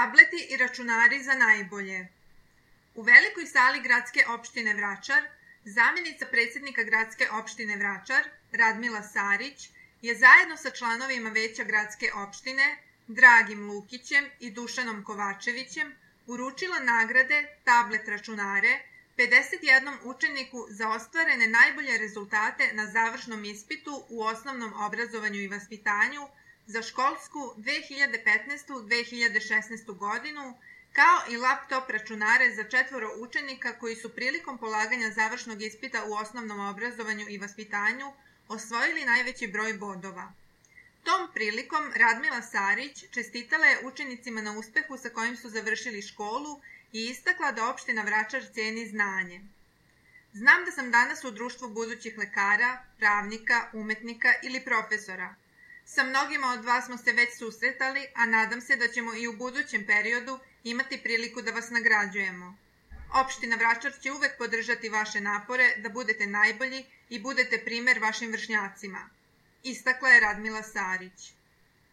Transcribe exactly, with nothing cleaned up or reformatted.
Tableti i računari za najbolje. U velikoj sali gradske opštine Vračar, zamjenica predsjednika gradske opštine Vračar, Radmila Sarić, je zajedno sa članovima veća gradske opštine, Dragim Lukićem i Dušanom Kovačevićem, uručila nagrade, tablet računare, pedeset jednom učeniku za ostvarene najbolje rezultate na završnom ispitu u osnovnom obrazovanju i vaspitanju za školsku dve hiljade petnaestu dve hiljade šesnaestu godinu, kao i laptop računare za četvoro učenika koji su prilikom polaganja završnog ispita u osnovnom obrazovanju i vaspitanju osvojili najveći broj bodova. Tom prilikom Radmila Sarić čestitala je učenicima na uspehu sa kojim su završili školu i istakla da opština Vračar ceni znanje. Znam da sam danas u društvu budućih lekara, pravnika, umetnika ili profesora. Sa mnogima od vas smo se već susretali, a nadam se da ćemo i u budućem periodu imati priliku da vas nagrađujemo. Opština Vračar će uvek podržati vaše napore da budete najbolji i budete primer vašim vršnjacima. Istakla je Radmila Sarić.